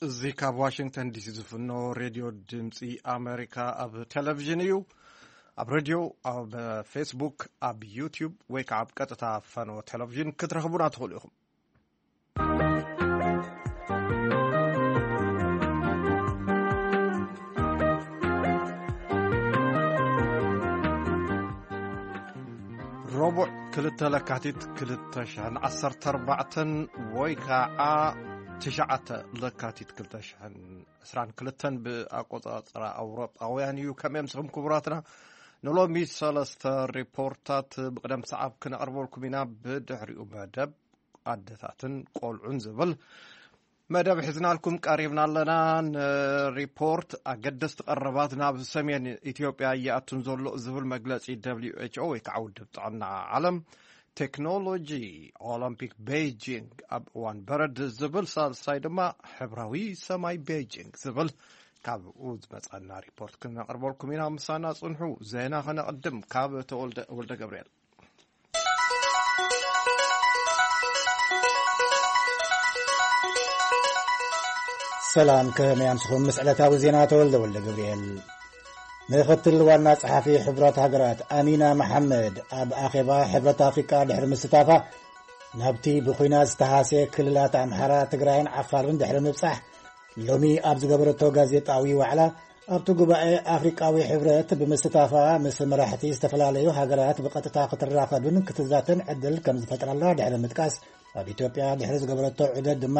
እዚ ካብ ዋሽንግተን ዲሲ ዝፍኖ ሬድዮ ድምፂ ኣሜሪካ ኣብ ቴሌቪዥን እዩ። ኣብ ሬድዮ፣ ኣብ ፌስቡክ፣ ኣብ ዩቲዩብ ወይ ከዓ ኣብ ቀጥታ ፈኖ ቴሌቪዥን ክትረኽቡና ትኽእሉ ኢኹም። ረቡዕ ክልተ ለካቲት ክልተ ሽሕን ዓሰርተ ኣርባዕተን ወይ ከዓ ትሽዓተ ለካቲት ክልተ ሽሕን ዕስራን ክልተን ብኣቆፃፅራ ኣውሮጳውያን እዩ። ከመይ ኣምስኹም ክቡራትና? ንሎሚ ሰለስተ ሪፖርታት ብቅደም ሰዓብ ክነቕርበልኩም ኢና። ብድሕሪኡ መደብ ኣደታትን ቆልዑን ዝብል መደብ ሒዝናልኩም ቀሪብና ኣለና። ንሪፖርት ኣገደስቲ ቀረባት ናብ ሰሜን ኢትዮጵያ እየኣቱን ዘሎ ዝብል መግለፂ ደብሊው ኤች ኦ ወይ ከዓ ውድብ ጥዕና ዓለም፣ ቴክኖሎጂ ኦሎምፒክ ቤይጂንግ ኣብ እዋን በረድ ዝብል፣ ሳልሳይ ድማ ሕብራዊ ሰማይ ቤይጂንግ ዝብል። ካብኡ ዝመፀና ሪፖርት ክነቕርበልኩም ኢና። ምሳና ፅንሑ። ዜና ከነቕድም ካብ ተወልደ ወልደ ገብርኤል። ሰላም፣ ከመይ ኣምስኹም? ምስ ዕለታዊ ዜና ተወልደ ወልደ ገብርኤል። ምክትል ዋና ጸሓፊ ሕብረት ሃገራት ኣሚና መሓመድ ኣብ ኣኼባ ሕብረት ኣፍሪቃ ድሕሪ ምስታፋ፣ ናብቲ ብኹናት ዝተሃስየ ክልላት ኣምሓራ፣ ትግራይን ዓፋርን ድሕሪ ምብጻሕ፣ ሎሚ ኣብ ዝገበረቶ ጋዜጣዊ ዋዕላ፣ ኣብቲ ጉባኤ ኣፍሪቃዊ ሕብረት ብምስታፋ ምስ መራሕቲ ዝተፈላለዩ ሃገራት ብቐጥታ ክትራኸብን ክትዛተን ዕድል ከም ዝፈጥረላ ድሕሪ ምጥቃስ፣ ኣብ ኢትዮጵያ ድሕሪ ዝገበረቶ ዑደት ድማ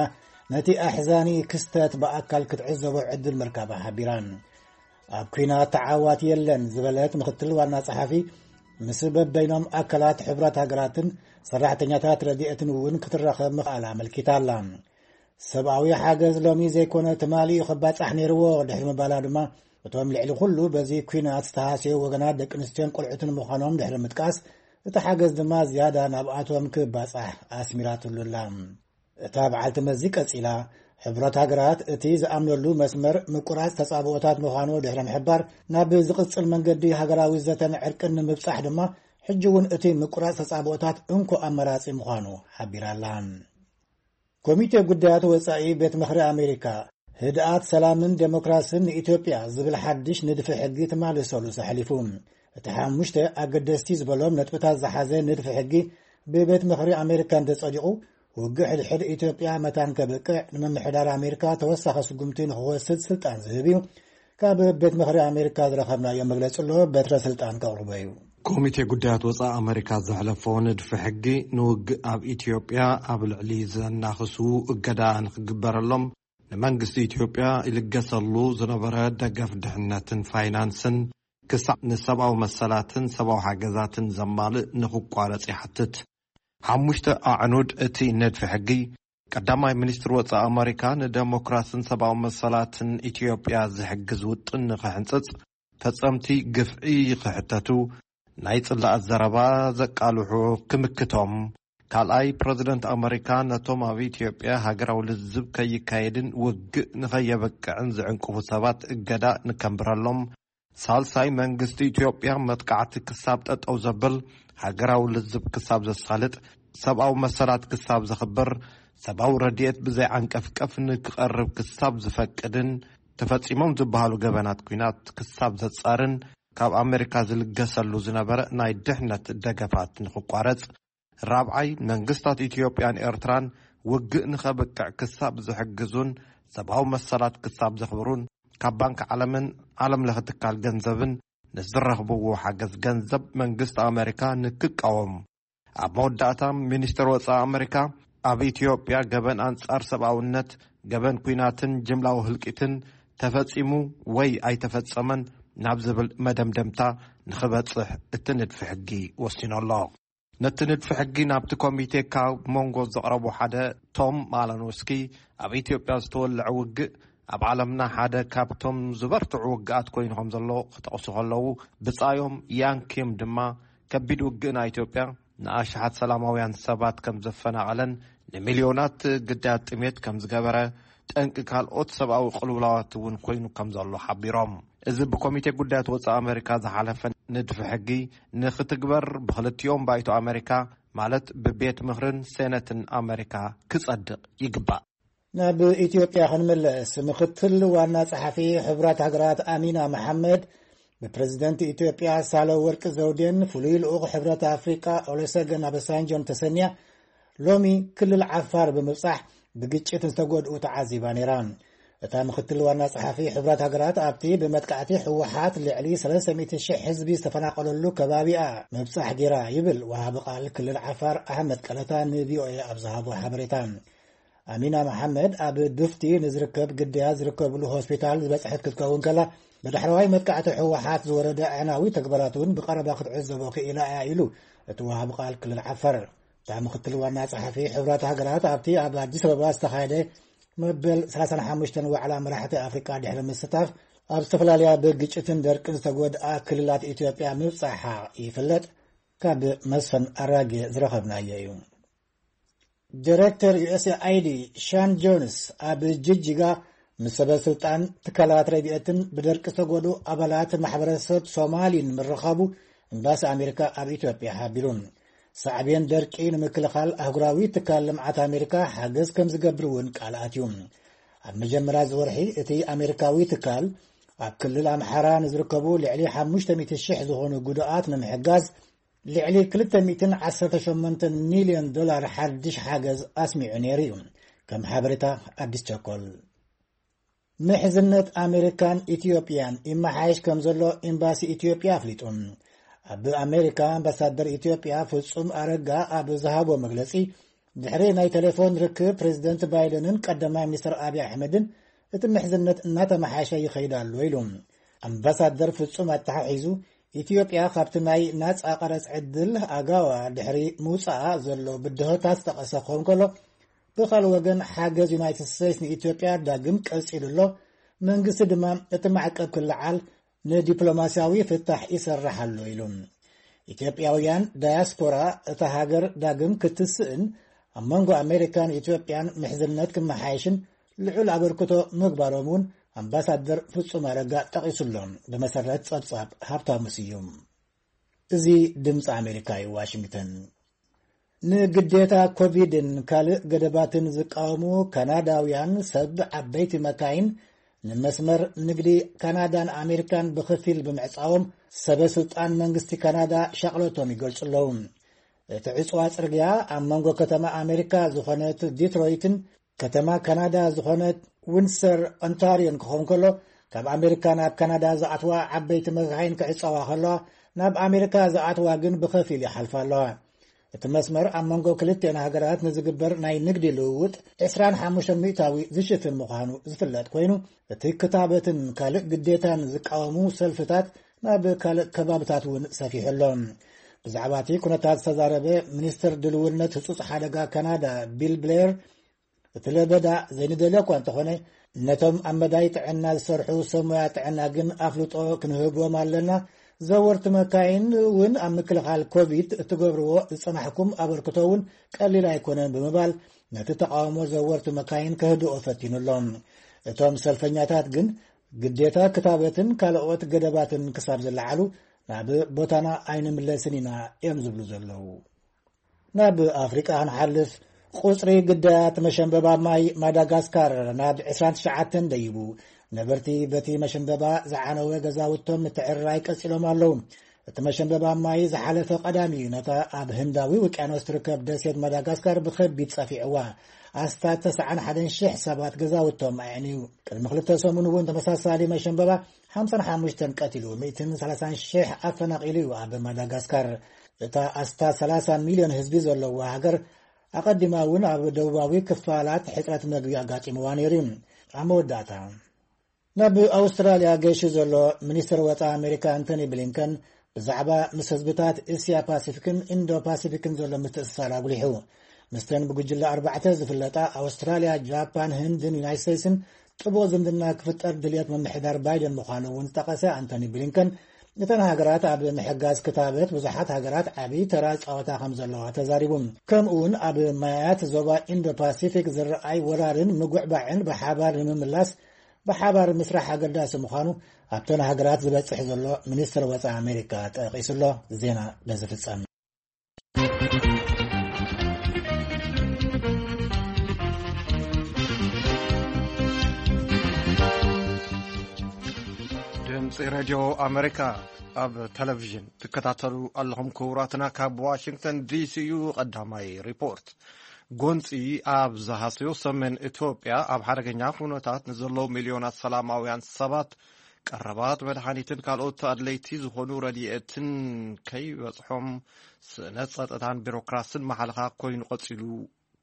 ነቲ ኣሕዛኒ ክስተት ብኣካል ክትዕዘቦ ዕድል ምርካባ ሓቢራን። ኣብ ኲናት ተዓዋቲ የለን ዝበለት ምክትል ዋና ጸሓፊ፣ ምስ በበይኖም ኣካላት ሕብረት ሃገራትን ሰራሕተኛታት ረድኤትን እውን ክትራኸብ ምኽኣላ ኣመልኪታ ኣላ። ሰብኣዊ ሓገዝ ሎሚ ዘይኮነ ትማሊ እዩ ክባጻሕ ነይርዎ ድሕሪ ምባላ ድማ፣ እቶም ልዕሊ ኩሉ በዚ ኲናት ዝተሃስዩ ወገናት ደቂ ኣንስትዮን ቆልዑትን ምዃኖም ድሕሪ ምጥቃስ፣ እቲ ሓገዝ ድማ ዝያዳ ናብኣቶም ክባጻሕ ኣስሚራትሉ ኣላ። እታ በዓልቲ መዚ ቀጺላ፣ ሕብረት ሃገራት እቲ ዝኣምነሉ መስመር ምቁራጽ ተጻብኦታት ምዃኑ ድሕሪ ምሕባር፣ ናብ ዝቕጽል መንገዲ ሃገራዊ ዘተን ዕርቅን ንምብጻሕ ድማ፣ ሕጂ እውን እቲ ምቁራጽ ተጻብኦታት እንኮ ኣማራጺ ምዃኑ ሓቢራ ኣላ። ኮሚቴ ጉዳያት ወጻኢ ቤት ምኽሪ ኣሜሪካ፣ ህድኣት፣ ሰላምን ዴሞክራስን ንኢትዮጵያ ዝብል ሓድሽ ንድፊ ሕጊ ትማሊ ሰሉስ ኣሕሊፉ። እቲ ሓሙሽተ ኣገደስቲ ዝበሎም ነጥብታት ዝሓዘ ንድፊ ሕጊ ብቤት ምኽሪ ኣሜሪካ እንተጸዲቑ፣ ውግእ ሕድሕድ ኢትዮጵያ መታን ከብቅዕ፣ ንምምሕዳር ኣሜሪካ ተወሳኺ ስጉምቲ ንኽወስድ ስልጣን ዝህብ እዩ። ካብ ቤት ምኽሪ ኣሜሪካ ዝረኸብናዮ መግለጺ ኣሎ፣ በትረ ስልጣን ከቕርቦ እዩ። ኮሚቴ ጉዳያት ወጻኢ ኣሜሪካ ዘሕለፎ ንድፊ ሕጊ፣ ንውግእ ኣብ ኢትዮጵያ ኣብ ልዕሊ ዘናኽሱ እገዳ ንክግበረሎም፣ ንመንግስቲ ኢትዮጵያ ይልገሰሉ ዝነበረ ደገፍ ድሕነትን ፋይናንስን ክሳዕ ንሰብኣዊ መሰላትን ሰብኣዊ ሓገዛትን ዘማልእ ንክቋረጽ ይሓትት። ሓሙሽተ ኣዕኑድ እቲ ንድፊ ሕጊ፣ ቀዳማይ ሚኒስትር ወጻኢ ኣመሪካ ንደሞክራስን ሰብኣዊ መሰላትን ኢትዮጵያ ዝሕግዝ ውጥን ንክሕንጽጽ፣ ፈጸምቲ ግፍዒ ክሕተቱ፣ ናይ ጽላኣት ዘረባ ዘቃልሑ ክምክቶም፣ ካልኣይ፣ ፕረዚደንት ኣመሪካ ነቶም ኣብ ኢትዮጵያ ሃገራዊ ልዝብ ከይካየድን ውግእ ንኸየበቅዕን ዝዕንቅፉ ሰባት እገዳ ንከንብረሎም፣ ሳልሳይ፣ መንግስቲ ኢትዮጵያ መጥቃዕቲ ክሳብ ጠጠው ዘብል፣ ሃገራዊ ልዝብ ክሳብ ዘሳልጥ፣ ሰብኣዊ መሰላት ክሳብ ዘኽብር፣ ሰብኣዊ ረድኤት ብዘይ ዓንቀፍቀፍ ንክቐርብ ክሳብ ዝፈቅድን ተፈጺሞም ዝበሃሉ ገበናት ኲናት ክሳብ ዘጻርን፣ ካብ ኣመሪካ ዝልገሰሉ ዝነበረ ናይ ድሕነት ደገፋት ንክቋረጽ፣ ራብዓይ፣ መንግስታት ኢትዮጵያን ኤርትራን ውግእ ንኸብቅዕ ክሳብ ዝሕግዙን ሰብኣዊ መሰላት ክሳብ ዘኽብሩን፣ ካብ ባንክ ዓለምን ዓለም ለኸ ትካል ገንዘብን ንዝረኽብዎ ሓገዝ ገንዘብ መንግስቲ ኣመሪካ ንክቃወም። ኣብ መወዳእታ፣ ሚኒስትር ወጻኢ ኣመሪካ ኣብ ኢትዮጵያ ገበን ኣንጻር ሰብኣውነት፣ ገበን ኲናትን ጅምላዊ ህልቂትን ተፈጺሙ ወይ ኣይተፈጸመን ናብ ዝብል መደምደምታ ንኽበጽሕ እቲ ንድፊ ሕጊ ወሲኑ ኣሎ። ነቲ ንድፊ ሕጊ ናብቲ ኮሚቴ ካብ መንጎ ዘቕረቡ ሓደ ቶም ማላኖስኪ፣ ኣብ ኢትዮጵያ ዝተወልዐ ውግእ ኣብ ዓለምና ሓደ ካብቶም ዝበርትዑ ውግኣት ኮይኑ ከም ዘሎ ክጠቕሱ ከለዉ፣ ብጻዮም ያንኪም ድማ ከቢድ ውግእ ናይ ኢትዮጵያ ንኣሽሓት ሰላማውያን ሰባት ከም ዘፈናቐለን ንሚልዮናት ግዳያት ጥሜት ከም ዝገበረ፣ ጠንቂ ካልኦት ሰብኣዊ ቅልውላዋት እውን ኮይኑ ከም ዘሎ ሓቢሮም። እዚ ብኮሚቴ ጉዳያት ወጻኢ ኣመሪካ ዝሓለፈ ንድፊ ሕጊ ንክትግበር ብክልቲኦም ባይቶ ኣመሪካ፣ ማለት ብቤት ምኽርን ሴነትን ኣመሪካ ክጸድቕ ይግባእ። ናብ ኢትዮጵያ ክንምለስ፣ ምክትል ዋና ጸሓፊ ሕቡራት ሃገራት ኣሚና መሓመድ ብፕረዚደንት ኢትዮጵያ ሳህለወርቅ ዘውዴን ፍሉይ ልኡኽ ሕብረት ኣፍሪቃ ኦሉሰገን ኦባሳንጆን ተሰንያ ሎሚ ክልል ዓፋር ብምብጻሕ ብግጭት ዝተጎድኡ ተዓዚባ ነይራ። እታ ምክትል ዋና ጸሓፊ ሕቡራት ሃገራት ኣብቲ ብመጥቃዕቲ ህወሓት ልዕሊ ሰለስተ ሚእቲ ሽሕ ህዝቢ ዝተፈናቐለሉ ከባቢኣ ምብጻሕ ገይራ ይብል ወሃቢ ቃል ክልል ዓፋር ኣሕመድ ቀለታ ንቪኦኤ ኣብ ዝሃቦ ሓበሬታ። ኣሚና መሓመድ ኣብ ዱፍቲ ንዝርከብ ግዳያት ዝርከብሉ ሆስፒታል ዝበጽሐት ክትከውን ከላ፣ ብዳሕረዋይ መጥቃዕቲ ህወሓት ዝወረደ ኣዕናዊ ተግባራት እውን ብቐረባ ክትዕዘቦ ክኢላ እያ ኢሉ እቲ ወሃቢ ቃል ክልል ዓፋር። እታ ምክትል ዋና ጸሓፊ ሕቡራት ሃገራት ኣብቲ ኣብ ኣዲስ ኣበባ ዝተኻየደ መበል ሰላሳን ሓሙሽተን ዋዕላ መራሕቲ ኣፍሪቃ ድሕሪ ምስታፍ፣ ኣብ ዝተፈላለያ ብግጭትን ደርቅን ዝተጎድኣ ክልላት ኢትዮጵያ ምብጻሓ ይፍለጥ። ካብ መስፍን ኣራጌ ዝረኸብናዮ እዩ። ዲሬክተር ዩ ኤስ ኤ ኣይ ዲ ሻን ጆንስ ኣብ ጅጅጋ ምስ ሰበ ስልጣን ትካላት ረድኤትን ብደርቂ ዝተጎዱ ኣባላት ማሕበረሰብ ሶማሊን ምርኻቡ ኤምባሲ ኣሜሪካ ኣብ ኢትዮጵያ ሓቢሩ። ሳዕቤን ደርቂ ንምክልኻል ኣህጉራዊ ትካል ልምዓት ኣሜሪካ ሓገዝ ከም ዝገብር እውን ቃል ኣትዩ። ኣብ መጀመርያ እዚ ወርሒ እቲ ኣሜሪካዊ ትካል ኣብ ክልል ኣምሓራ ንዝርከቡ ልዕሊ ሓሙሽተ ሚእቲ ሽሕ ዝኾኑ ጉዱኣት ንምሕጋዝ ልዕሊ ክልተ ሚእትን ዓሰርተ ሸሞንተን ሚልዮን ዶላር ሓድሽ ሓገዝ ኣስሚዑ ነይሩ እዩ። ከም ሓበሬታ ኣዲስ ቸኮል። ምሕዝነት ኣሜሪካን ኢትዮጵያን ይመሓየሽ ከም ዘሎ ኤምባሲ ኢትዮጵያ ኣፍሊጡ። ኣብ ኣሜሪካ ኣምባሳደር ኢትዮጵያ ፍጹም ኣረጋ ኣብ ዝሃቦ መግለጺ፣ ድሕሪ ናይ ቴሌፎን ርክብ ፕሬዚደንት ባይደንን ቀዳማይ ሚኒስትር ኣብይ ኣሕመድን እቲ ምሕዝነት እናተመሓየሸ ይኸይድ ኣሎ ኢሉ። ኣምባሳደር ፍጹም ኣተሓሒዙ፣ ኢትዮጵያ ካብቲ ናይ ናጻ ቀረጽ ዕድል ኣጋዋ ድሕሪ ምውጻኣ ዘሎ ብድሆታት ዝጠቐሰ ክኸውን ከሎ፣ ብኻልእ ወገን ሓገዝ ዩናይትድ ስቴትስ ንኢትዮጵያ ዳግም ቀጺሉ ኣሎ፣ መንግስቲ ድማ እቲ ማዕቀብ ክለዓል ንዲፕሎማስያዊ ፍታሕ ይሰርሕ ኣሎ ኢሉ። ኢትዮጵያውያን ዳያስፖራ እታ ሃገር ዳግም ክትስእን ኣብ መንጎ ኣሜሪካን ኢትዮጵያን ምሕዝነት ክመሓየሽን ልዑል ኣበርክቶ ምግባሮም እውን ኣምባሳደር ፍጹም ኣረጋ ጠቒሱሎ። ብመሰረት ጸብጻብ ሃብታሙ ስዩም። እዚ ድምፂ ኣሜሪካ እዩ፣ ዋሽንግተን። ንግዴታ ኮቪድን ካልእ ገደባትን ዝቃወሙ ካናዳውያን ሰብ ዓበይቲ መካይን ንመስመር ንግዲ ካናዳን ኣሜሪካን ብኸፊል ብምዕጻዎም፣ ሰበ ስልጣን መንግስቲ ካናዳ ሻቕለቶም ይገልጹ ኣለዉ። እቲ ዕጽዋ ጽርግያ ኣብ መንጎ ከተማ ኣሜሪካ ዝኾነት ዲትሮይትን ከተማ ካናዳ ዝኾነት ዊንድሰር ኦንታሪዮን ክኸውን ከሎ፣ ካብ ኣሜሪካ ናብ ካናዳ ዝኣትዋ ዓበይቲ መካይን ክዕጸዋ ከለዋ፣ ናብ ኣሜሪካ ዝኣትዋ ግን ብኸፊል ይሓልፋ ኣለዋ። እቲ መስመር ኣብ መንጎ ክልቲአን ሃገራት ንዝግበር ናይ ንግዲ ልውውጥ ዕስራን ሓሙሽተን ሚእታዊ ዝሽፍን ምዃኑ ዝፍለጥ ኮይኑ፣ እቲ ክታበትን ካልእ ግዴታን ዝቃወሙ ሰልፍታት ናብ ካልእ ከባብታት እውን ሰፊሑ ኣሎ። ብዛዕባ እቲ ኩነታት ዝተዛረበ ሚኒስትር ድልውነት ህጹጽ ሓደጋ ካናዳ ቢል ብሌር፣ እቲ ለበዳ ዘይንደልዮ እኳ እንተኾነ፣ ነቶም ኣብ መዳይ ጥዕና ዝሰርሑ ሰብ ሞያ ጥዕና ግን ኣፍልጦ ክንህቦም ኣለና። ዘወርቲ መካይን እውን ኣብ ምክልኻል ኮቪድ እትገብርዎ ዝጸናሕኩም ኣበርክቶ እውን ቀሊል ኣይኮነን ብምባል፣ ነቲ ተቃውሞ ዘወርቲ መካይን ከህድኦ ፈቲኑ ኣሎ። እቶም ሰልፈኛታት ግን ግዴታ ክታበትን ካልኦት ገደባትን ክሳብ ዝለዓሉ ናብ ቦታና ኣይንምለስን ኢና እዮም ዝብሉ ዘለዉ። ናብ ኣፍሪቃ ክንሓልፍ፣ ቁጽሪ ግዳያት መሸንበባ ማይ ማዳጋስካር ናብ ዕስራን ትሽዓተን ደይቡ። ነበርቲ በቲ መሸንበባ ዝዓነወ ገዛውቶም ምትዕርራይ ቀጺሎም ኣለዉ። እቲ መሸንበባ ማይ ዝሓለፈ ቀዳሚ እዩ ነታ ኣብ ህንዳዊ ውቅያኖስ ትርከብ ደሴት ማዳጋስካር ብኸቢድ ጸፊዕዋ። ኣስታት ተስዓን ሓደን ሽሕ ሰባት ገዛውቶም ኣዕንዩ። ቅድሚ ክልተ ሰሙን እውን ተመሳሳሊ መሸንበባ ሓምሳን ሓሙሽተን ቀቲሉ፣ ሚእትን ሰላሳን ሽሕ ኣፈናቒሉ እዩ ኣብ ማዳጋስካር። እታ ኣስታት ሰላሳ ሚልዮን ህዝቢ ዘለዋ ሃገር፣ ኣቐዲማ እውን ኣብ ደቡባዊ ክፋላት ሕጽረት መግቢ ኣጋጢምዋ ነይሩ እዩ። ኣብ መወዳእታ፣ ናብ ኣውስትራልያ ገይሹ ዘሎ ሚኒስትር ወጻኢ ኣሜሪካ ኣንቶኒ ብሊንከን ብዛዕባ ምስ ህዝብታት እስያ ፓሲፊክን ኢንዶ ፓሲፊክን ዘሎ ምትእስሳር ኣጉሊሑ። ምስተን ብጉጅለ ኣርባዕተ ዝፍለጣ ኣውስትራልያ፣ ጃፓን፣ ህንድን ዩናይት ስቴትስን ጥቡቕ ዝምድና ክፍጠር ድልየት ምምሕዳር ባይደን ምዃኑ እውን ዝጠቐሰ ኣንቶኒ ብሊንከን፣ እተን ሃገራት ኣብ ምሕጋዝ ክታበት ብዙሓት ሃገራት ዓብዪ ተራ ጸወታ ከም ዘለዋ ተዛሪቡ። ከምኡ እውን ኣብ ማያት ዞባ ኢንዶ ፓሲፊክ ዝረኣይ ወራርን ምጉዕባዕን ብሓባር ንምምላስ ብሓባር ምስራሕ ኣገዳሲ ምዃኑ ኣብተን ሃገራት ዝበጽሕ ዘሎ ሚኒስትር ወጻኢ ኣሜሪካ ጠቒሱ ኣሎ። ዜና በዚ ፍጸም። ሬድዮ ኣሜሪካ ኣብ ቴሌቪዥን ትከታተሉ ኣለኹም። ክቡራትና፣ ካብ ዋሽንግተን ዲሲ እዩ ቀዳማይ ሪፖርት። ጎንፂ ኣብ ዝሃሰዮ ሰሜን ኢትዮጵያ ኣብ ሓደገኛ ኩነታት ንዘለዉ ሚልዮናት ሰላማውያን ሰባት ቀረባት መድሃኒትን ካልኦት ኣድለይቲ ዝኾኑ ረድኤትን ከይበጽሖም ስእነት ጸጥታን ቢሮክራስን ማሕለኻ ኮይኑ ቀጺሉ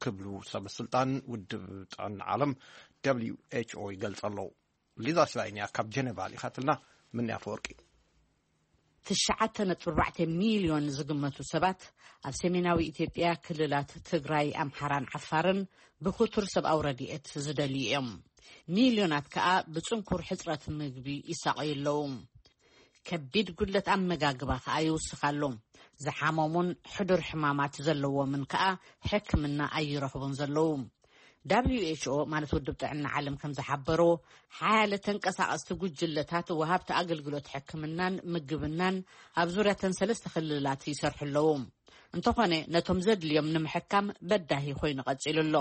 ክብሉ ሰበስልጣን ውድብ ጥዕና ዓለም ደብሊው ኤች ኦ ይገልጹ ኣለዉ። ሊዛ ሽላይን እያ ካብ ጀነቫ ልኢኻትልና። ምንያ ኣፈወርቂ። ትሽዓተ ነጥቢ ኣርባዕተ ሚልዮን ዝግመቱ ሰባት ኣብ ሰሜናዊ ኢትዮጵያ ክልላት ትግራይ፣ ኣምሓራን ዓፋርን ብክቱር ሰብኣዊ ረድኤት ዝደልዩ እዮም። ሚልዮናት ከኣ ብጽንኩር ሕጽረት ምግቢ ይሳቐዩ ኣለዉ። ከቢድ ጉድለት ኣመጋግባ ከኣ ይውስኽ ኣሎ። ዝሓመሙን ሕዱር ሕማማት ዘለዎምን ከኣ ሕክምና ኣይረኽቡን ዘለዉ። ደብሊው ኤች ኦ ማለት ውድብ ጥዕና ዓለም ከም ዝሓበሮ፣ ሓያለ ተንቀሳቐስቲ ጉጅለታት ወሃብቲ ኣገልግሎት ሕክምናን ምግብናን ኣብ ዙርያተን ሰለስተ ክልላት ይሰርሑ ኣለዉ። እንተኾነ ነቶም ዘድልዮም ንምሕካም በዳሂ ኮይኑ ቀጺሉ ኣሎ።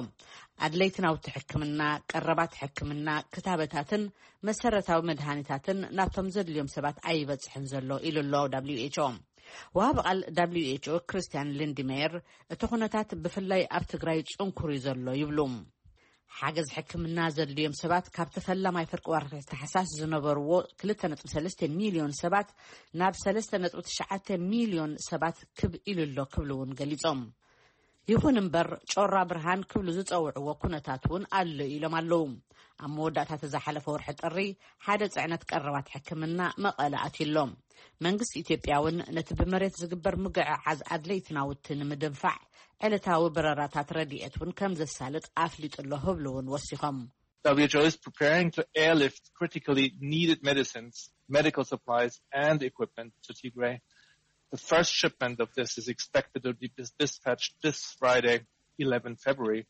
ኣድለይቲ ናውቲ ሕክምና፣ ቀረባት ሕክምና፣ ክታበታትን መሰረታዊ መድሃኒታትን ናብቶም ዘድልዮም ሰባት ኣይበጽሕን ዘሎ ኢሉ ኣሎ ደብሊው ኤች ኦ። ወሃቢ ቃል ደብሊው ኤች ኦ ክርስቲያን ሊንድሜየር እቲ ኩነታት ብፍላይ ኣብ ትግራይ ጽንኩር እዩ ዘሎ ይብሉ። ሓገዝ ሕክምና ዘድልዮም ሰባት ካብቲ ፈላማይ ፍርቂ ወርሒ ታሕሳስ ዝነበርዎ ክልተ ነጥቢ ሰለስተ ሚልዮን ሰባት ናብ ሰለስተ ነጥቢ ትሽዓተ ሚልዮን ሰባት ክብ ኢሉ ኣሎ ክብሉ እውን ገሊጾም። ይኹን እምበር ጮራ ብርሃን ክብሉ ዝጸውዕዎ ኩነታት እውን ኣሎ ኢሎም ኣለዉ። ኣብ መወዳእታ ዝሓለፈ ወርሒ ጥሪ ሓደ ጽዕነት ቀረባት ሕክምና መቐለ ኣትዩ ኣሎ። መንግስቲ ኢትዮጵያ እውን ነቲ ብመሬት ዝግበር ምጉዕዓዝ ኣድለይቲ ናውቲ ንምድንፋዕ ዕለታዊ በረራታት ረድኤት እውን ከም ዘሳልጥ ኣፍሊጡ ኣሎ ክብሉ እውን ወሲኾም። W H O is preparing to airlift critically needed medicines, medical supplies, and equipment to Tigray. The first shipment of this is expected to be dis- dispatched this Friday, eleventh February.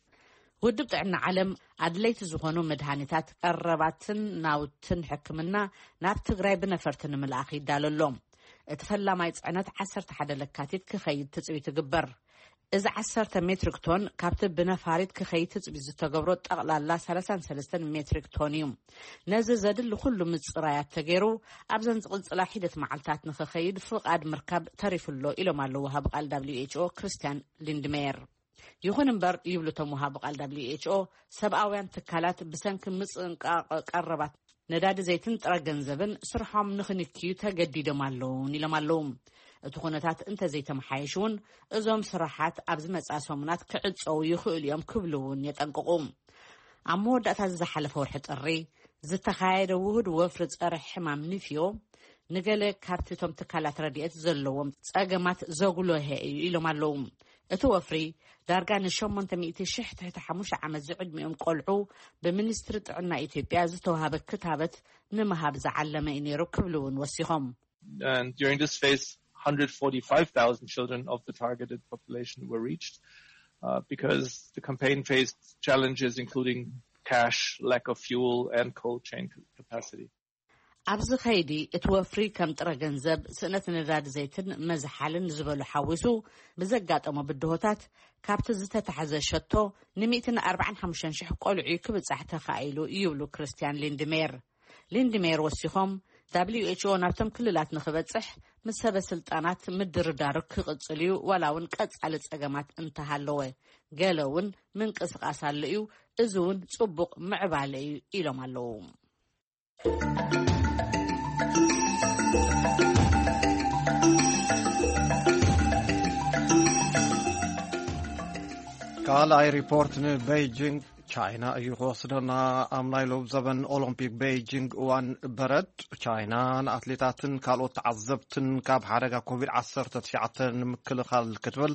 ውድብ ጥዕና ዓለም ኣድለይቲ ዝኾኑ መድሃኒታት፣ ቀረባትን ናውትን ሕክምና ናብ ትግራይ ብነፈርቲ ንምልኣኽ ይዳሎ ኣሎ። እቲ ፈላማይ ጽዕነት ዓሰርተ ሓደ ለካቲት ክኸይድ ትጽቢት ይግበር። እዚ ዓሰርተ ሜትሪክ ቶን ካብቲ ብነፋሪት ክኸይድ ትጽቢት ዝተገብሮ ጠቕላላ ሰላሳን ሰለስተን ሜትሪክ ቶን እዩ። ነዚ ዘድሊ ኩሉ ምጽራያት ተገይሩ ኣብዘን ዝቕጽላ ሒደት መዓልታት ንኽኸይድ ፍቓድ ምርካብ ተሪፉ ኣሎ ኢሎም ኣለዉ ወሃቢ ቃል ደብሊው ኤች ኦ ክርስቲያን ሊንድሜየር። ይኹን እምበር ይብሉ እቶም ወሃቢ ቃል ደብሊው ኤች ኦ፣ ሰብኣውያን ትካላት ብሰንኪ ምጽንቃቕ ቀረባት ነዳዲ ዘይትን ጥረ ገንዘብን ስርሖም ንኽንክዩ ተገዲዶም ኣለውን ኢሎም ኣለዉ። እቲ ኩነታት እንተዘይተመሓየሽ እውን እዞም ስራሓት ኣብ ዝመጽኣ ሰሙናት ክዕጸዉ ይኽእሉ እዮም ክብሉ እውን የጠንቅቑ። ኣብ መወዳእታ ዝሓለፈ ወርሒ ጥሪ ዝተኻየደ ውሁድ ወፍሪ ጸረ ሕማም ንፍዮ ንገለ ካብቲ እቶም ትካላት ረድኤት ዘለዎም ጸገማት ዘጉለሀ እዩ ኢሎም ኣለዉ። እቲ ወፍሪ ዳርጋ ንሸሞንተ ሚእቲ ሽሕ ትሕቲ ሓሙሽተ ዓመት ዝዕድሚኦም ቆልዑ ብሚኒስትሪ ጥዕና ኢትዮጵያ ዝተዋሃበ ክታበት ንምሃብ ዝዓለመ እዩ ነይሩ ክብሉ እውን ወሲኾም። And during this phase, one hundred forty-five thousand children of the targeted population were reached, uh, because the campaign faced challenges including cash, lack of fuel, and cold chain capacity. ኣብዚ ኸይዲ እቲ ወፍሪ ከም ጥረ ገንዘብ፣ ስእነት ነዳዲ ዘይትን መዝሓልን ዝበሉ ሓዊሱ ብዘጋጠሞ ብድሆታት ካብቲ ዝተታሕዘ ሸቶ ንሚእትን ኣርባዓን ሓሙሽተን ሽሕ ቆልዑ ክብጻሕ ተኻኢሉ ይብሉ ክርስቲያን ሊንድሜር። ሊንድሜር ወሲኾም፣ ደብሊው ኤች ኦ ናብቶም ክልላት ንኽበጽሕ ምስ ሰበ ስልጣናት ምድርዳሩ ክቕጽል እዩ፣ ዋላ እውን ቀጻሊ ጸገማት እንተሃለወ። ገለ እውን ምንቅስቓስ ኣሎ እዩ፣ እዚ እውን ጽቡቕ ምዕባለ እዩ ኢሎም ኣለዉ። ካልኣይ ሪፖርት ንቤይጂንግ ቻይና እዩ ክወስደና። ኣብ ናይ ሎብ ዘበን ኦሎምፒክ ቤይጂንግ እዋን በረድ፣ ቻይና ንኣትሌታትን ካልኦት ተዓዘብትን ካብ ሓደጋ ኮቪድ ዓሰርተ ትሽዓተ ንምክልኻል ክትብል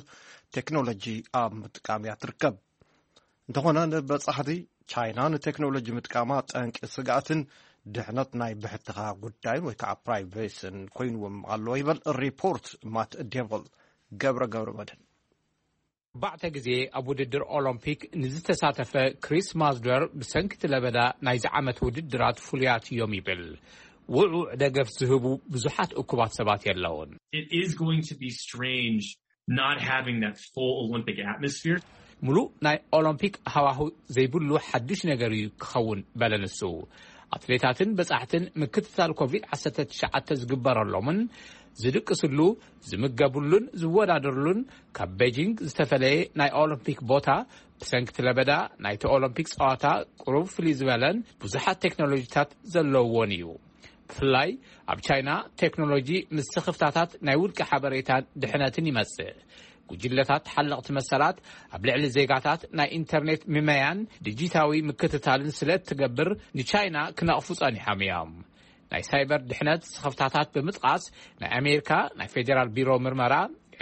ቴክኖሎጂ ኣብ ምጥቃም እያ ትርከብ። እንተኾነ ንበጻሕቲ፣ ቻይና ንቴክኖሎጂ ምጥቃማ ጠንቂ ስግኣትን ድሕነት ናይ ብሕትኻ ጉዳይን ወይ ከዓ ፕራይቬስን ኮይንዎም ኣሎ ይበል ሪፖርት ማት ዴቭል። ገብረ ገብረ መድህን። ኣርባዕተ ግዜ ኣብ ውድድር ኦሎምፒክ ንዝተሳተፈ ክሪስ ማዝደር ብሰንኪ እቲ ለበዳ ናይዚ ዓመት ውድድራት ፍሉያት እዮም ይብል። ውዑዕ ደገፍ ዝህቡ ብዙሓት እኩባት ሰባት የለውን። It is going to be strange not having that full Olympic atmosphere. ምሉእ ናይ ኦሎምፒክ ሃዋሁ ዘይብሉ ሓድሽ ነገር እዩ ክኸውን፣ በለ ንሱ። ኣትሌታትን በጻሕትን ምክትታል ኮቪድ ዓሰርተ ትሽዓተ ዝግበረሎምን ዝድቅስሉ፣ ዝምገቡሉን ዝወዳደሩሉን ካብ ቤጂንግ ዝተፈለየ ናይ ኦሎምፒክ ቦታ፣ ብሰንኪ ለበዳ ናይቲ ኦሎምፒክ ጸዋታ ቁሩብ ፍልይ ዝበለን ብዙሓት ቴክኖሎጂታት ዘለውዎን እዩ። ብፍላይ ኣብ ቻይና፣ ቴክኖሎጂ ምስ ስኽፍታታት ናይ ውልቂ ሓበሬታን ድሕነትን ይመጽእ። ጉጅለታት ሓለቕቲ መሰላት ኣብ ልዕሊ ዜጋታት ናይ ኢንተርኔት ምመያን ዲጂታዊ ምክትታልን ስለ እትገብር፣ ንቻይና ክነቕፉ ጸኒሖም እዮም። ናይ ሳይበር ድሕነት ስኽፍታታት ብምጥቓስ፣ ናይ ኣሜሪካ ናይ ፌዴራል ቢሮ ምርመራ፣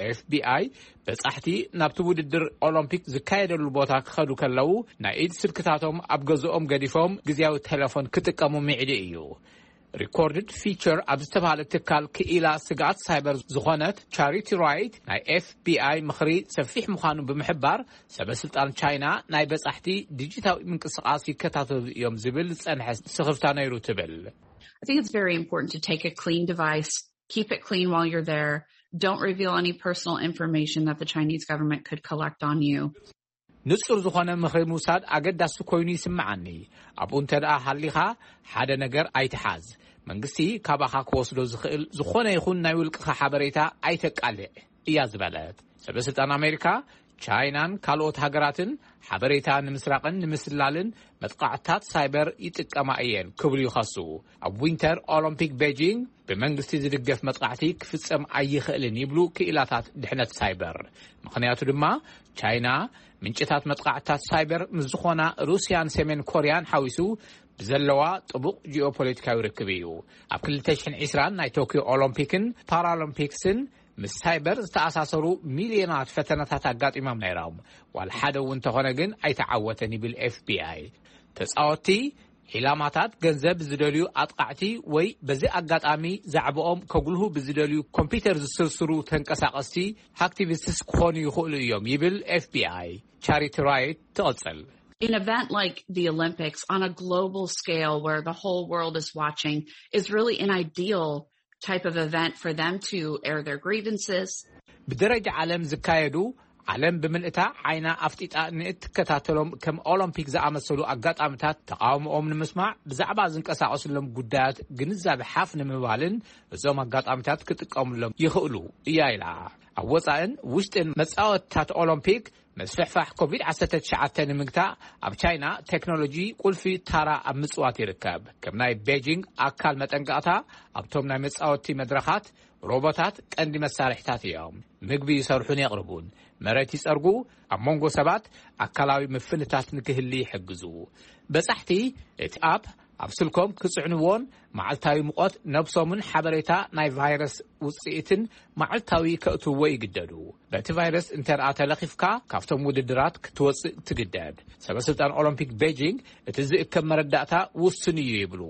ኤፍቢኣይ፣ በጻሕቲ ናብቲ ውድድር ኦሎምፒክ ዝካየደሉ ቦታ ክኸዱ ከለዉ፣ ናይ ኢድ ስልክታቶም ኣብ ገዝኦም ገዲፎም ግዝያዊ ቴሌፎን ክጥቀሙ ምዕዲ እዩ። ሪኮርድድ ፊቸር ኣብ ዝተባህለ ትካል ክኢላ ስግኣት ሳይበር ዝኾነት ቻሪቲ ራይት፣ ናይ ኤፍቢኣይ ምኽሪ ሰፊሕ ምዃኑ ብምሕባር፣ ሰበ ስልጣን ቻይና ናይ በጻሕቲ ዲጂታዊ ምንቅስቓስ ይከታተሉ እዮም ዝብል ዝጸንሐ ስኽፍታ ነይሩ ትብል። I think it's very important to take a clean device, keep it clean while you're there. Don't reveal any personal information that the Chinese government could collect on you. ንጹር ዝኾነ ምኽሪ ምውሳድ ኣገዳሲ ኮይኑ ይስምዓኒ። ኣብኡ እንተ ደኣ ሃሊኻ፣ ሓደ ነገር ኣይትሓዝ። መንግስቲ ካባኻ ክወስዶ ዝኽእል ዝኾነ ይኹን ናይ ውልቅኻ ሓበሬታ ኣይተቃልዕ እያ ዝበለት። ሰበ ስልጣን ኣሜሪካ፣ ቻይናን ካልኦት ሃገራትን ሓበሬታ ንምስራቕን ንምስላልን መጥቃዕትታት ሳይበር ይጥቀማ እየን ክብሉ ይኸሱ። ኣብ ዊንተር ኦሎምፒክ ቤጂንግ ብመንግስቲ ዝድገፍ መጥቃዕቲ ክፍጸም ኣይኽእልን ይብሉ ክኢላታት ድሕነት ሳይበር። ምኽንያቱ ድማ፣ ቻይና ምንጭታት መጥቃዕትታት ሳይበር ምስ ዝኾና ሩስያን ሰሜን ኮርያን ሓዊሱ ብዘለዋ ጥቡቕ ጂኦፖለቲካዊ ርክብ እዩ። ኣብ ክልተ ሽሕን ዕስራን ናይ ቶኪዮ ኦሎምፒክን ፓራሎምፒክስን ምስ ሳይበር ዝተኣሳሰሩ ሚልዮናት ፈተነታት ኣጋጢሞም ነይሮም። ዋላ ሓደ እውን እንተኾነ ግን ኣይተዓወተን ይብል ኤፍቢኣይ። ተጻወትቲ፣ ዒላማታት፣ ገንዘብ ዝደልዩ ኣጥቃዕቲ ወይ በዚ ኣጋጣሚ ዛዕባኦም ከጉልሁ ብዝደልዩ ኮምፒውተር ዝስርስሩ ተንቀሳቐስቲ ኣክቲቪስትስ ክኾኑ ይኽእሉ እዮም ይብል ኤፍቢኣይ። ቻሪቲ ራይት ትቕጽል። An event like the Olympics on a global scale where the whole world is watching is really an ideal type of event for them to air their grievances. ብደረጃ ዓለም ዝካየዱ፣ ዓለም ብምልእታ ዓይና ኣፍጢጣ ንእትከታተሎም ከም ኦሎምፒክ ዝኣመሰሉ ኣጋጣሚታት፣ ተቓውሞኦም ንምስማዕ፣ ብዛዕባ ዝንቀሳቐስሎም ጉዳያት ግንዛቤ ሓፍ ንምባልን እዞም ኣጋጣሚታት ክጥቀሙሎም ይኽእሉ እያ ኢላ። ኣብ ወጻእን ውሽጥን መጻወትታት ኦሎምፒክ መስፍሕፋሕ ኮቪድ ዓሰርተ ትሽዓተ ንምግታእ ኣብ ቻይና ቴክኖሎጂ ቁልፊ ታራ ኣብ ምጽዋት ይርከብ። ከም ናይ ቤጂንግ ኣካል መጠንቀቕታ፣ ኣብቶም ናይ መጻወቲ መድረኻት ሮቦታት ቀንዲ መሳርሒታት እዮም። ምግቢ ይሰርሑን የቕርቡን፣ መሬት ይጸርጉ፣ ኣብ መንጎ ሰባት ኣካላዊ ምፍንታት ንክህሊ ይሕግዙ። በጻሕቲ እቲ ኣፕ ኣብ ስልኮም ክጽዕንዎን መዓልታዊ ሙቐት ነብሶምን ሓበሬታ ናይ ቫይረስ ውጽኢትን መዓልታዊ ከእትውዎ ይግደዱ። በቲ ቫይረስ እንተ ደኣ ተለኺፍካ፣ ካብቶም ውድድራት ክትወጽእ ትግደድ። ሰበ ስልጣን ኦሎምፒክ ቤጂንግ፣ እቲ ዝእከብ መረዳእታ ውሱን እዩ ይብሉ።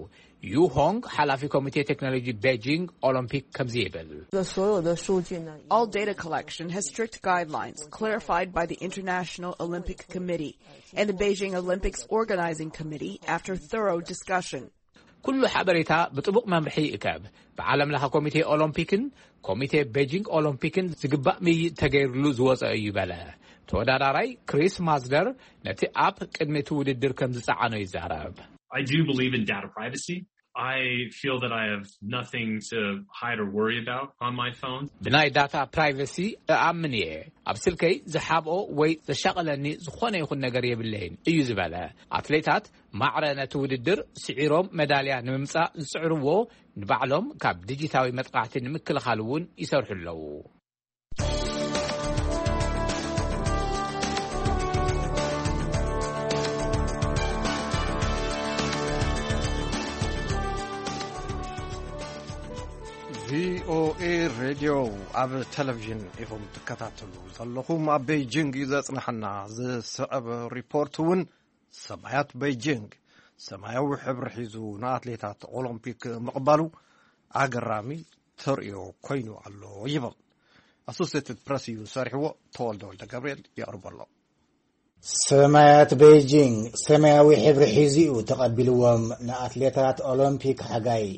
ዩ ሆንግ፣ ሓላፊ ኮሚቴ ቴክኖሎጂ ቤጂንግ ኦሎምፒክ፣ ከምዚ ይብል። 的所有的数据呢， All data collection has strict guidelines clarified by the International Olympic Committee and the Beijing Olympics Organizing Committee after thorough discussion. ኩሉ ሓበሬታ ብጥቡቕ መምርሒ ይእከብ። ብዓለም ለኸ ኮሚቴ ኦሎምፒክን ኮሚቴ ቤጂንግ ኦሎምፒክን ዝግባእ ምይይጥ ተገይርሉ ዝወፀ እዩ በለ ተወዳዳራይ ክሪስ ማዝደር። ነቲ ኣፕ ቅድሚ እቲ ውድድር ከም ዝፀዓኖ ይዛረብ። I do believe in data privacy. I feel that I have nothing to hide or worry about on my phone. ብናይ ዳታ ፕራይቨሲ እኣምን እየ። ኣብ ስልከይ ዝሓብኦ ወይ ዘሻቐለኒ ዝኾነ ይኹን ነገር የብለይን እዩ ዝበለ። ኣትሌታት ማዕረ ነቲ ውድድር ስዒሮም መዳልያ ንምምፃእ ዝፅዕርዎ፣ ንባዕሎም ካብ ዲጂታዊ መጥቃዕቲ ንምክልኻል እውን ይሰርሑ ኣለዉ። ቪኦኤ ሬድዮ ኣብ ቴሌቪዥን ኢኹም ትከታተሉ ዘለኹም። ኣብ ቤይጂንግ እዩ ዘጽንሐና። ዝስዕብ ሪፖርት እውን ሰማያት ቤይጂንግ ሰማያዊ ሕብሪ ሒዙ ንኣትሌታት ኦሎምፒክ ምቕባሉ ኣገራሚ ተርእዮ ኮይኑ ኣሎ ይብል። ኣሶሴትድ ፕረስ እዩ ሰሪሕዎ። ተወልደ ወልደ ገብርኤል የቕርቦ ኣሎ። ሰማያት ቤይጂንግ ሰማያዊ ሕብሪ ሒዙ እዩ ተቐቢልዎም ንኣትሌታት ኦሎምፒክ ሓጋይ።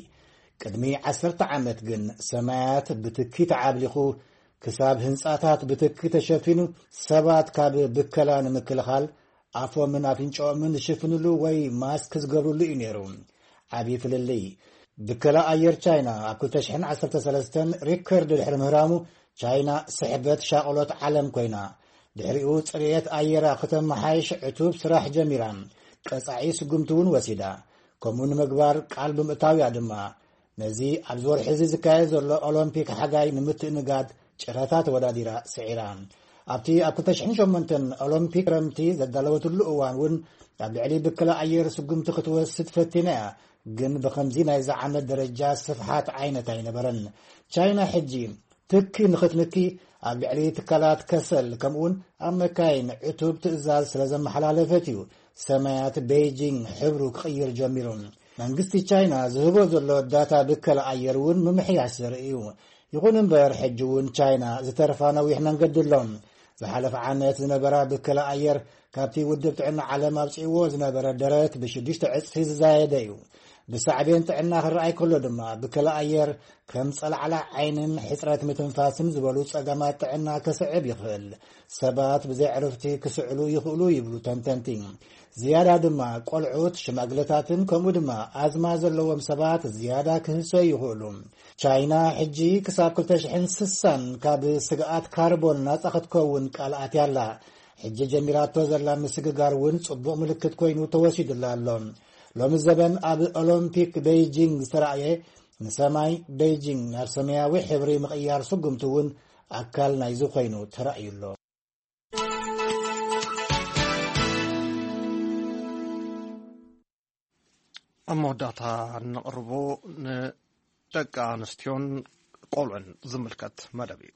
ቅድሚ ዓሰርተ ዓመት ግን ሰማያት ብትኪ ተዓብሊኹ ክሳብ ህንጻታት ብትኪ ተሸፊኑ ሰባት ካብ ብከላ ንምክልኻል ኣፎምን ኣፍንጫኦምን ዝሽፍንሉ ወይ ማስክ ዝገብርሉ እዩ ነይሩ። ዓብዪ ፍልልይ። ብከላ ኣየር ቻይና ኣብ ክልተ ሽሕን ዓሰርተ ሰለስተን ሪከርድ ድሕሪ ምህራሙ፣ ቻይና ስሕበት ሻቕሎት ዓለም ኮይና። ድሕሪኡ ጽሬት ኣየራ ክተመሓይሽ ዕቱብ ስራሕ ጀሚራ። ቀጻዒ ስጉምቲ እውን ወሲዳ። ከምኡ ንምግባር ቃል ብምእታውያ ድማ፣ ነዚ ኣብዚ ወርሒ እዚ ዝካየድ ዘሎ ኦሎምፒክ ሓጋይ ንምትእንጋድ ጨረታ ተወዳዲራ ስዒራ። ኣብቲ ኣብ ክልተ ሽሕን ሸሞንተን ኦሎምፒክ ክረምቲ ዘዳለወትሉ እዋን እውን ኣብ ልዕሊ ብከላ ኣየር ስጉምቲ ክትወስድ ፈቲና እያ፣ ግን ብኸምዚ ናይዚ ዓመት ደረጃ ስፍሓት ዓይነት ኣይነበረን። ቻይና ሕጂ ትኪ ንኽትንኪ ኣብ ልዕሊ ትካላት ከሰል ከምኡውን ኣብ መካይን ዕቱብ ትእዛዝ ስለ ዘመሓላለፈት እዩ ሰማያት ቤይጂንግ ሕብሩ ክቕይር ጀሚሩ። መንግስቲ ቻይና ዝህቦ ዘሎ ዳታ ብከላ ኣየር እውን ምምሕያሽ ዘርኢ እዩ። ይኹን እምበር፣ ሕጂ እውን ቻይና ዝተርፋ ነዊሕ መንገዲ ኣሎ። ዝሓለፈ ዓመት ዝነበራ ብከላ ኣየር ካብቲ ውድብ ጥዕና ዓለም ኣብጽእዎ ዝነበረ ደረት ብሽዱሽተ ዕጽፊ ዝዛየደ እዩ። ብሳዕቤን ጥዕና ክረኣይ ከሎ ድማ፣ ብከላ ኣየር ከም ጸላዕላ ዓይንን ሕጽረት ምትንፋስን ዝበሉ ጸገማት ጥዕና ከስዕብ ይኽእል። ሰባት ብዘይ ዕርፍቲ ክስዕሉ ይኽእሉ ይብሉ ተንተንቲ። ዝያዳ ድማ ቆልዑት፣ ሽማግለታትን ከምኡ ድማ ኣዝማ ዘለዎም ሰባት ዝያዳ ክህሰዩ ይኽእሉ። ቻይና ሕጂ ክሳብ ክልተ ሽሕን ስሳን ካብ ስግኣት ካርቦን ናጻ ክትከውን ቃል ኣትያ ኣላ። ሕጂ ጀሚራቶ ዘላ ምስግጋር እውን ጽቡቕ ምልክት ኮይኑ ተወሲዱላ ኣሎ። ሎሚ ዘበን ኣብ ኦሎምፒክ ቤይጂንግ ዝተራእየ ንሰማይ ቤይጂንግ ናብ ሰማያዊ ሕብሪ ምቕያር ስጉምቲ እውን ኣካል ናይዚ ኮይኑ ተራእዩ ኣሎ። ኣብ መወዳእታ እንቕርቦ ንደቂ ኣንስትዮን ቆልዑን ዝምልከት መደብ እዩ።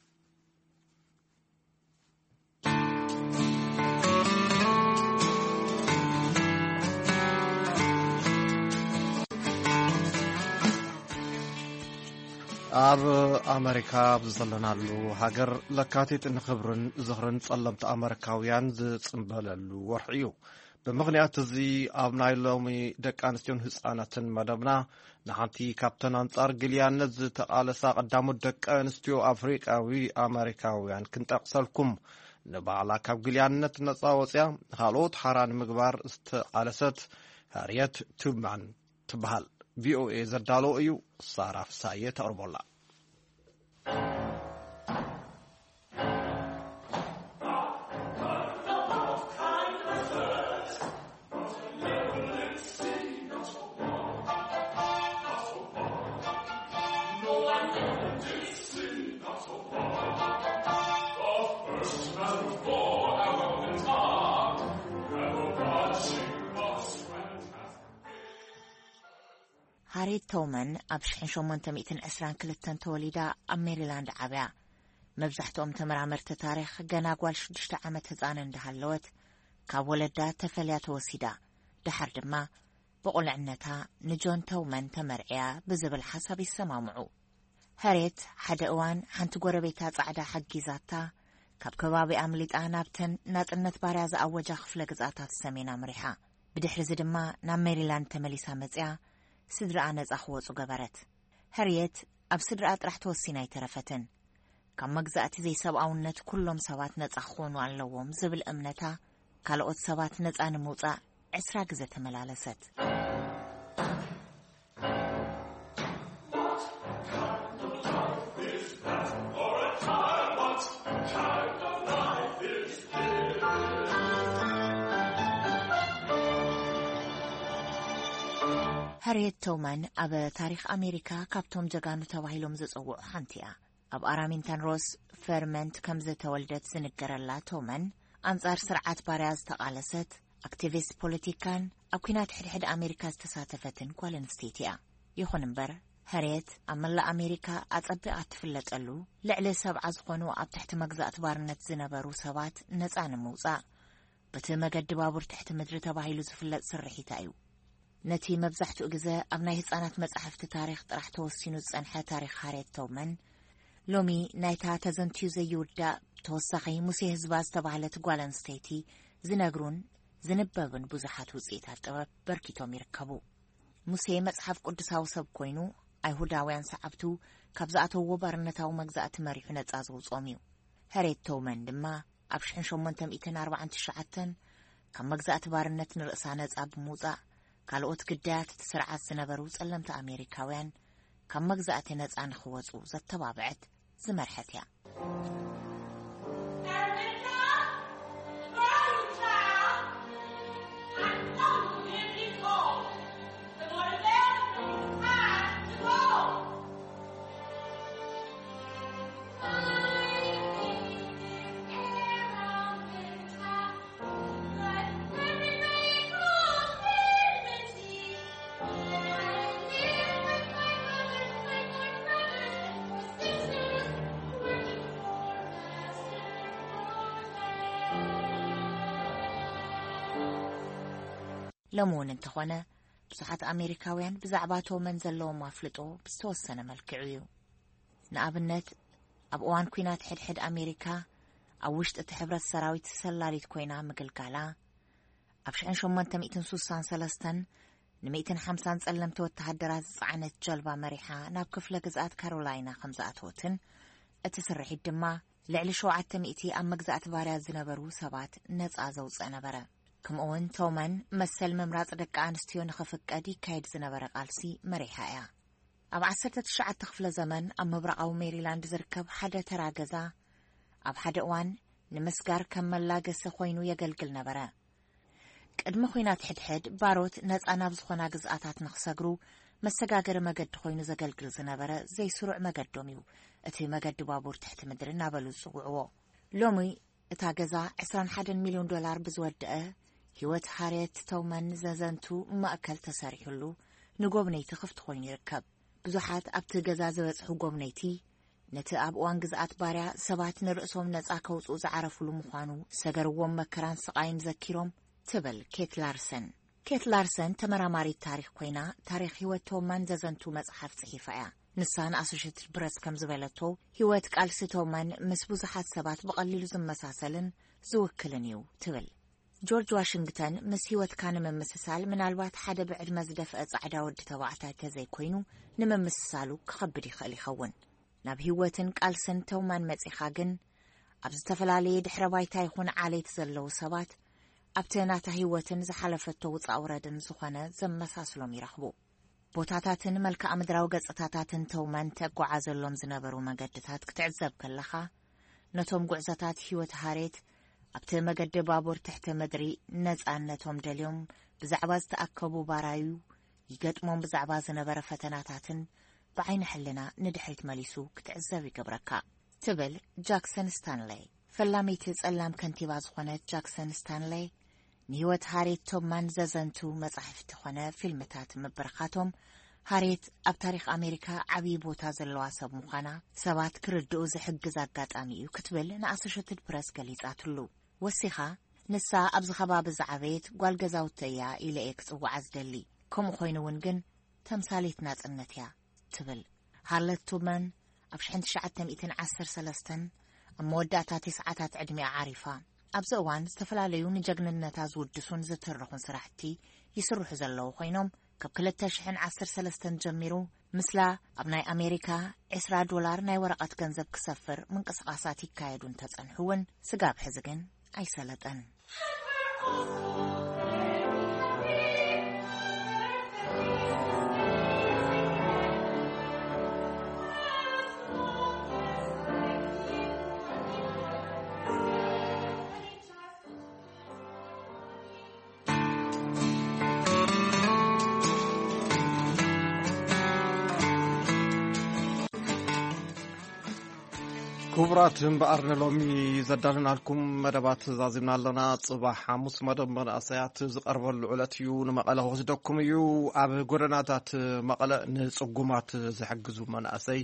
ኣብ ኣመሪካ ኣብ ዘለናሉ ሃገር ለካቲት ንክብርን ዝኽርን ጸለምቲ ኣመሪካውያን ዝጽንበለሉ ወርሒ እዩ። ብምኽንያት እዚ ኣብ ናይ ሎሚ ደቂ ኣንስትዮን ህጻናትን መደብና ንሓንቲ ካብተን ኣንጻር ግልያነት ዝተቓለሳ ቀዳሞት ደቂ ኣንስትዮ ኣፍሪቃዊ ኣመሪካውያን ክንጠቕሰልኩም። ንባዕላ ካብ ግልያነት ነጻ ወጽያ ንኻልኦት ሓራ ንምግባር ዝተቓለሰት ሃርየት ቱብማን ትበሃል። ቪኦኤ ዘዳለዎ እዩ። ሳራ ፍሳየ ተቕርቦላ። ሃሪት ቶውመን ኣብ ሽሕን ሸሞንተ ሚእትን ዕስራን ክልተን ተወሊዳ ኣብ ሜሪላንድ ዓብያ። መብዛሕትኦም ተመራመርቲ ታሪኽ ገና ጓል ሽዱሽተ ዓመት ህጻን እንዳሃለወት ካብ ወለዳ ተፈልያ ተወሲዳ፣ ደሓር ድማ ብቑልዕነታ ንጆን ተውመን ተመርዕያ ብዝብል ሓሳብ ይሰማምዑ። ሃርየት ሓደ እዋን ሓንቲ ጎረቤታ ጻዕዳ ሓጊዛታ ካብ ከባቢ ኣምሊጣ ናብተን ናጽነት ባርያ ዝኣወጃ ክፍለ ግዝኣታት ሰሜን ኣምሪሓ። ብድሕሪ እዚ ድማ ናብ ሜሪላንድ ተመሊሳ መጽያ ስድራኣ ነጻ ክወጹ ገበረት። ሃርየት ኣብ ስድራኣ ጥራሕ ተወሲና ኣይተረፈትን። ካብ መግዛእቲ ዘይሰብኣውነት ኩሎም ሰባት ነጻ ክኾኑ ኣለዎም ዝብል እምነታ ካልኦት ሰባት ነጻ ንምውጻእ ዕስራ ግዘ ተመላለሰት። ሃርየት ቶውመን ኣብ ታሪኽ ኣሜሪካ ካብቶም ጀጋኑ ተባሂሎም ዝጽውዑ ሓንቲ እያ። ኣብ ኣራሚንተን ሮስ ፈርመንት ከም ዝተወልደት ዝንገረላ ቶውመን፣ ኣንጻር ስርዓት ባርያ ዝተቓለሰት፣ ኣክቲቪስት ፖለቲካን ኣብ ኲናት ሕድሕድ ኣሜሪካ ዝተሳተፈትን ጓል ኣንስተይቲ እያ። ይኹን እምበር፣ ሃርየት ኣብ መላእ ኣሜሪካ ኣጸቢቓ እትፍለጠሉ፣ ልዕሊ ሰብዓ ዝኾኑ ኣብ ትሕቲ መግዛእቲ ባርነት ዝነበሩ ሰባት ነጻ ንምውጻእ፣ በቲ መገዲ ባቡር ትሕቲ ምድሪ ተባሂሉ ዝፍለጥ ስርሒታ እዩ። ነቲ መብዛሕትኡ ግዘ ኣብ ናይ ህጻናት መጻሕፍቲ ታሪኽ ጥራሕ ተወሲኑ ዝጸንሐ ታሪኽ ሃርየት ቶውመን፣ ሎሚ ናይታ ተዘንትዩ ዘይውዳእ ተወሳኺ ሙሴ ህዝባ ዝተባህለት ጓል ኣንስተይቲ ዝነግሩን ዝንበብን ብዙሓት ውጽኢታት ጥበብ በርኪቶም ይርከቡ። ሙሴ መጽሓፍ ቅዱሳዊ ሰብ ኮይኑ፣ ኣይሁዳውያን ሰዓብቱ ካብ ዝኣተውዎ ባርነታዊ መግዛእቲ መሪሑ ነጻ ዘውጽኦም እዩ። ሃርየት ቶውመን ድማ ኣብ ሽሕን ሸሞንተ ሚእትን ኣርባዓን ትሽዓተን ካብ መግዛእቲ ባርነት ንርእሳ ነጻ ብምውጻእ፣ ካልኦት ግዳያት እቲ ስርዓት ዝነበሩ ጸለምቲ ኣሜሪካውያን ካብ መግዛእቲ ነጻ ንኽወጹ ዘተባብዐት ዝመርሐት እያ። ሎሚ እውን እንተኾነ፣ ብዙሓት ኣሜሪካውያን ብዛዕባ ቶመን ዘለዎም ኣፍልጦ ብዝተወሰነ መልክዑ እዩ። ንኣብነት፣ ኣብ እዋን ኲናት ሕድሕድ ኣሜሪካ ኣብ ውሽጢ እቲ ሕብረት ሰራዊት ሰላሊት ኮይና ምግልጋላ፣ ኣብ ሽሕን ሸሞንተ ሚእትን ሱሳን ሰለስተን ንሚእትን ሓምሳን ጸለምቲ ወተሃደራት ዝጸዓነት ጀልባ መሪሓ ናብ ክፍለ ግዝኣት ካሮላይና ከም ዝኣተወትን፣ እቲ ስርሒት ድማ ልዕሊ ሸውዓተ ሚእቲ ኣብ መግዛእቲ ባርያ ዝነበሩ ሰባት ነጻ ዘውጽእ ነበረ። ከምኡውን ቶመን መሰል ምምራጽ ደቂ ኣንስትዮ ንኽፍቀድ ይካየድ ዝነበረ ቃልሲ መሪሓ እያ። ኣብ ዓሰርተ ትሽዓተ ክፍለ ዘመን ኣብ ምብራቓዊ ሜሪላንድ ዝርከብ ሓደ ተራ ገዛ ኣብ ሓደ እዋን ንምስጋር ከም መላገሲ ኮይኑ የገልግል ነበረ። ቅድሚ ኲናት ሕድሕድ ባሮት ነጻ ናብ ዝኾና ግዝኣታት ንኽሰግሩ መሰጋገሪ መገዲ ኮይኑ ዘገልግል ዝነበረ ዘይስሩዕ መገዶም እዩ። እቲ መገዲ ባቡር ትሕቲ ምድሪ እናበሉ ዝጽውዕዎ። ሎሚ እታ ገዛ ዕስራን ሓደን ሚልዮን ዶላር ብዝወደአ ህይወት ሃርየት ተውመን ዘዘንቱ ማእከል ተሰሪሑሉ ንጎብነይቲ ክፍቲ ኮይኑ ይርከብ። ብዙሓት ኣብቲ ገዛ ዝበጽሑ ጎብነይቲ ነቲ ኣብ እዋን ግዝኣት ባርያ ሰባት ንርእሶም ነጻ ከውጽኡ ዝዓረፉሉ ምዃኑ ዝሰገርዎም መከራን ስቓይን ዘኪሮም ትብል ኬት ላርሰን። ኬት ላርሰን ተመራማሪት ታሪኽ ኮይና፣ ታሪኽ ህይወት ቶማን ዘዘንቱ መጽሓፍ ጽሒፋ እያ። ንሳ ንኣሶሼትድ ፕረስ ከም ዝበለቶ፣ ህይወት ቃልሲ ቶማን ምስ ብዙሓት ሰባት ብቐሊሉ ዝመሳሰልን ዝውክልን እዩ ትብል። ጆርጅ ዋሽንግተን ምስ ህይወትካ ንምምስሳል ምናልባት ሓደ ብዕድመ ዝደፍአ ጻዕዳ ወዲ ተባዕታይ ተዘይኮይኑ ንምምስሳሉ ክኸብድ ይኽእል ይኸውን። ናብ ህይወትን ቃልስን ተውማን መጺኻ ግን፣ ኣብ ዝተፈላለየ ድሕረ ባይታ ይኹን ዓሌት ዘለዉ ሰባት ኣብቲ ናታ ህይወትን ዝሓለፈቶ ውጻእ ውረድን ዝኾነ ዘመሳስሎም ይረኽቡ። ቦታታትን መልክዓ ምድራዊ ገጽታታትን ተውማን ተጓዓዘሎም ዝነበሩ መገድታት ክትዕዘብ ከለኻ፣ ነቶም ጉዕዞታት ህይወት ሃሬት ኣብቲ መገዲ ባቡር ትሕቲ ምድሪ ነጻነቶም ደልዮም ብዛዕባ ዝተኣከቡ ባራዩ ይገጥሞም ብዛዕባ ዝነበረ ፈተናታትን ብዓይኒ ሕልና ንድሕሪት መሊሱ ክትዕዘብ ይገብረካ ትብል ጃክሰን ስታንለይ። ፈላመይቲ ጸላም ከንቲባ ዝኾነት ጃክሰን ስታንለይ ንህይወት ሃሬት ቶማን ዘዘንቱ መጻሕፍቲ ኾነ ፊልምታት ምብርኻቶም ሃሬት ኣብ ታሪኽ ኣሜሪካ ዓብዪ ቦታ ዘለዋ ሰብ ምዃና ሰባት ክርድኡ ዝሕግዝ ኣጋጣሚ እዩ ክትብል ንኣሶሸትድ ፕረስ ገሊጻትሉ። ወሲኻ፣ ንሳ ኣብዚ ከባቢ ዝዓበየት ጓል ገዛውቲ እያ ኢለ እየ ክጽውዓ ዝደሊ። ከምኡ ኮይኑ እውን ግን ተምሳሌት ናጽነት እያ ትብል። ሃርለት ቱመን ኣብ ሽሕን ትሽዓተ ሚእትን ዓሰርተ ሰለስተን ኣብ መወዳእታ ተስዓታት ዕድሚኣ ዓሪፋ። ኣብዚ እዋን ዝተፈላለዩ ንጀግንነታ ዝውድሱን ዝትርኹን ስራሕቲ ይስርሑ ዘለዉ ኮይኖም፣ ካብ ክልተ ሽሕን ዓሰርተ ሰለስተን ጀሚሩ ምስላ ኣብ ናይ ኣሜሪካ ዕስራ ዶላር ናይ ወረቐት ገንዘብ ክሰፍር ምንቅስቓሳት ይካየዱ እንተጸንሑ እውን፣ ስጋብ ሕዚ ግን ኣይሰለጠን። ክቡራት፣ እምበኣር ንሎሚ ዘዳለናልኩም መደባት ዛዚምና ኣለና። ጽባሕ ሓሙስ መደብ መናእሰያት ዝቐርበሉ ዕለት እዩ። ንመቐለ ክወስደኩም እዩ። ኣብ ጎደናታት መቐለ ንጽጉማት ዝሕግዙ መናእሰይ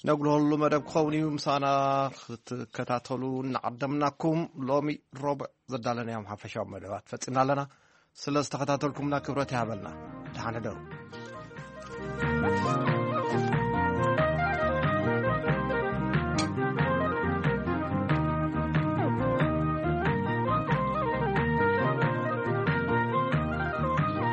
ነጉልሆሉ መደብ ክኸውን እዩ። ምሳና ክትከታተሉ እናዓደምናኩም፣ ሎሚ ረቡዕ ዘዳለናዮም ሓፈሻዊ መደባት ፈጺምና ኣለና። ስለ ዝተኸታተልኩምና ክብረት ይሃበልና። ደሓን ሕደሩ።